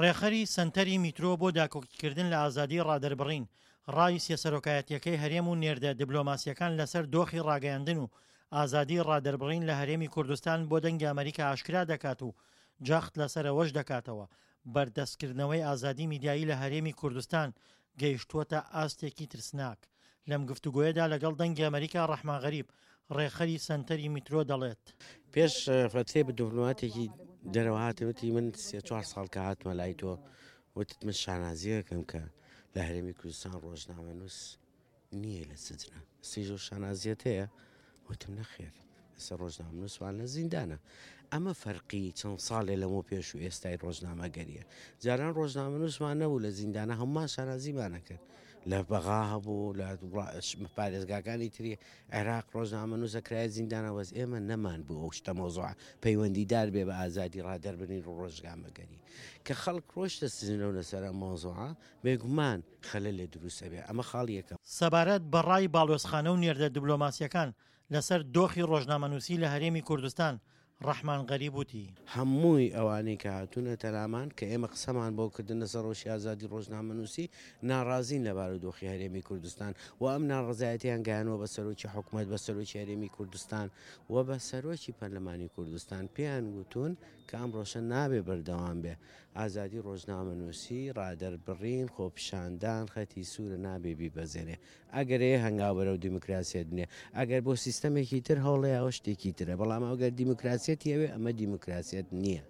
ڕێکخەری سەنتەری میترۆ بۆ داکۆکیکردن لە ئازادیی ڕادەربڕین، ڕای سێ سەرۆکایەتییەکەی هەرێم و نێردە دبلۆماسییەکان لەسەر دۆخی ڕاگەیاندن و ئازادیی ڕادەربڕین لە هەرێمی کوردستان بۆ دەنگی ئەمەریکا ئاشکرا دەکات و جەخت لەسەر ئەوەش دەکاتەوە بەردەستکردنەوەی ئازادی میدیایی لە هەرێمی کوردستان گەیشتووەتە ئاستێکی ترسناک. لەم گفتوگۆیەدا لەگەڵ دەنگی ئەمەریکا ڕەحمان غەریب، ڕێکخەری سەنتەری میترۆ دەڵێت. پێش فەترەی بە دبلۆماتێکی دەرەوە هاتن وتی من سێ چوار ساڵ کە هاتمە لای تۆ وتت من شانازیەکەم کە لە هەرێمی کوردستان ڕۆژنامەنووس نییە لە سجنە سیژ و شانازیەت هەیە وتم نەخێر ئێستا ڕۆژنامەنووسمان لە زیندانە ئەمە فەرقی چەند ساڵێ لەمە پێش و ئێستای ڕۆژنامەگەریە جاران ڕۆژنامەنووسمان نەبوو لە زیندانە هەمومان شانازیمانە کرد لە بەغا هەبوو لە پارێزگاکانی تری عێراق ڕۆژنامەنووسە کرایە زیندانە وەز ئێمە نەمان بوو ئەو شتە مۆزوع پەیوەندیدار بێ بە ئازادی ڕادەربرین و ڕۆژگامەگەری کە خەڵک ڕۆشتە سزنەوە لەسەر ئەم مۆزوعە بێگومان خەلەلێ دروست ئەبێ ئەمە خاڵی یەکەم. سەبارەت بە ڕای باڵوێزخانە و نێردە دبلۆماسییەکان لەسەر دۆخی ڕۆژنامەنووسی لە هەرێمی کوردستان، ڕەحمان غەریب وتی. هەمووی ئەوانەی کە هاتوونەتە لامان کە ئێمە قسەمان بۆ کردن لەسەر ڕەوشی ئازادی ڕۆژنامەنووسی، ناڕازین لە بارودۆخی هەرێمی کوردستان و ئەم ناڕەزایەتیان گەیانووە بە سەرۆکی حکومەت، بە سەرۆکی هەرێمی کوردستان و بە سەرۆکی پەرلەمانی کوردستان پێیان وتوون کە ئەم ڕەوشە نابێ بەردەوام بێ. ئازادی ڕۆژنامەنووسی، ڕادەربڕین، خۆپیشاندان خەتی سوورە نابێ بیبەزێنێ. ئەگەر ئەیە هەنگاو بەرەو دیموکراسیەت بنێ، ئەگەر بۆ سیستەمێکی تر هەوڵێ ئەوە شتێکی ترە، بەڵام ئەگەر دیموکراسیەتی ئەوێ ئەمە دیموکراسیەت نییە.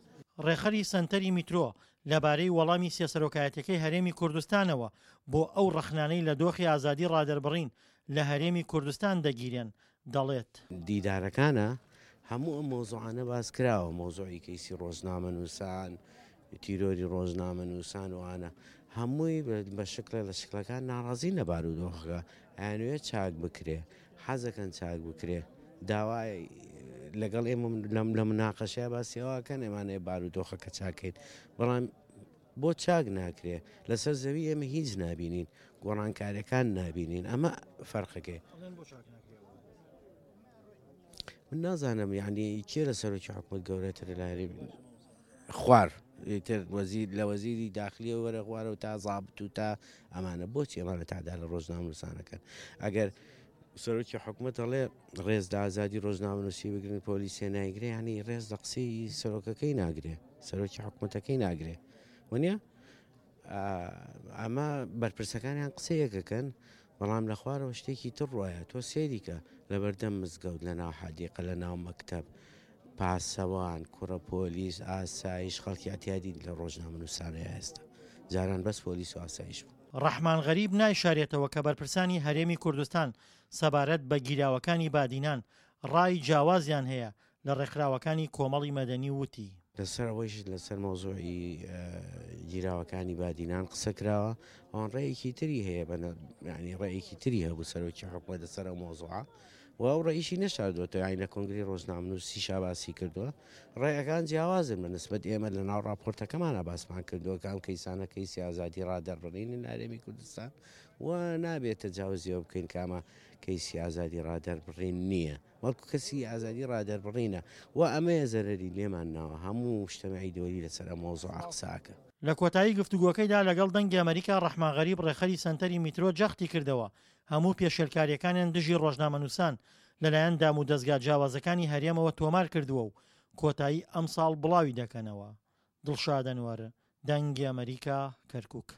ڕێکخەری سەنتەری میترۆ لەبارەی وەڵامی سێ سەرۆکایەتیەکەی هەرێمی کوردستانەوە بۆ ئەو ڕەخنانەی لە دۆخی ئازادی ڕادەربڕین لە هەرێمی کوردستان دەگیرێن دەڵێت. دیدارەکانە هەموو ئەم مەوزوعانە باس کراوە، مەوزوعی کەیسی ڕۆژنامەنووسان، تیرۆری ڕۆژنامەنووسان و ئانە هەمووی بە شکڵێ لە شکڵەکان ناڕازین لە بارودۆخەکە، ئەیانەوێت چاک بکرێ، حەزەکەن چاک بکرێ، داوای لەگەڵ ئێمە لە مناقەشەیا باسی ئەوە ئەکەن ئێمانەیە بارودۆخەکە چاکەین، بەڵام بۆ چاک ناکرێ؟ لەسەر زەوی ئێمە هیچ نابینین، گۆڕانکاریەکان نابینین، ئەمە فەرقەکەی. من نازانم یعنی کێ لە سەرۆکی حکومت گەورەترە لە هەرێم خوار تر وەزیر لە وەزیری داخلیە وەرە خوارەوە تا زابت و تا ئەمانە بۆچی ئەمانە تادا لە ڕۆژنامەنووسانەکەن ئەگەر سەرۆکی حکومت ئەڵێ ڕێز لە ئازادی ڕۆژنامەنووسی بگرن پۆلیسێ نایگرێ ینی ڕێز لە قسەی سەرۆکەکەی ناگرێ سەرۆکی حکومەتەکەی ناگرێ وەنیە ئەمە بەرپرسەکانیان قسەیەکەکەن بەڵام لە خوارەوە شتێکی تر ڕایە تۆ سێریکە لەبەردەم مزگەوت لە ناو حەدیقە لە ناو مەکتەب پاسەوان کوڕە پۆلیس ئاسایش خەڵکی ئەتیادی لە ڕۆژنامەنووسانەیە ئێستا جاران بەس پۆلیس و ئاسایش بوو. ڕەحمان غەریب نایشارێتەوە کە بەرپرسانی هەرێمی کوردستان سەبارەت بە گیراوەکانی بادینان ڕای جیاوازیان هەیە لە ڕێکخراوەکانی کۆمەڵی مەدەنی وتی. لەسەر ئەوەیش لەسەر مەوزوعی گیراوەکانی بادینان قسە کراوە، ئەوان ڕێیەکی تری هەیە بە یانی ڕێیەکی تری هەبوو سەرۆکی حکومەت لەسەر ئەو مەوزوعە و ئەو ڕێیشی نەشاردووەتەوە یانی لە کۆنگرەی ڕۆژنامەنووسیشا باسی کردووە ڕێیەکان جیاوازن بە نسبەت ئێمە لە ناو ڕاپۆرتەکەمانە باسمان کردووە کە ئەم کەیسانە کەیسی ئازادی ڕادەربڕینن لە هەرێمی کوردستان و نابێت تەجاوزیەوە بکەین کە ئەمە کەیسی ئازادی ڕادەربڕین نییە. بەڵکو کەسی ئازادی ڕادەربڕینە و ئەمەیە زەرەری لێمان ناوە، هەموو مجتەمەعی دەولی لەسەر ئەم مەوزوعە قسە ئەکەن. لە کۆتایی گفتوگۆکەیدا لەگەڵ دەنگی ئەمەریکا ڕەحمان غەریب ڕێکخەری سەنتەری میترۆ جەختی کردەوە هەموو پێشێلکارییەکانیان دژی ڕۆژنامەنووسان لەلایەن دامودەزگا جیاوازەکانی هەرێمەوە تۆمار کردووە و کۆتایی ئەمساڵ بڵاوی دەکەنەوە. دڵشاد ئەنوەر، دەنگی ئەمەریکا، کەرکوک.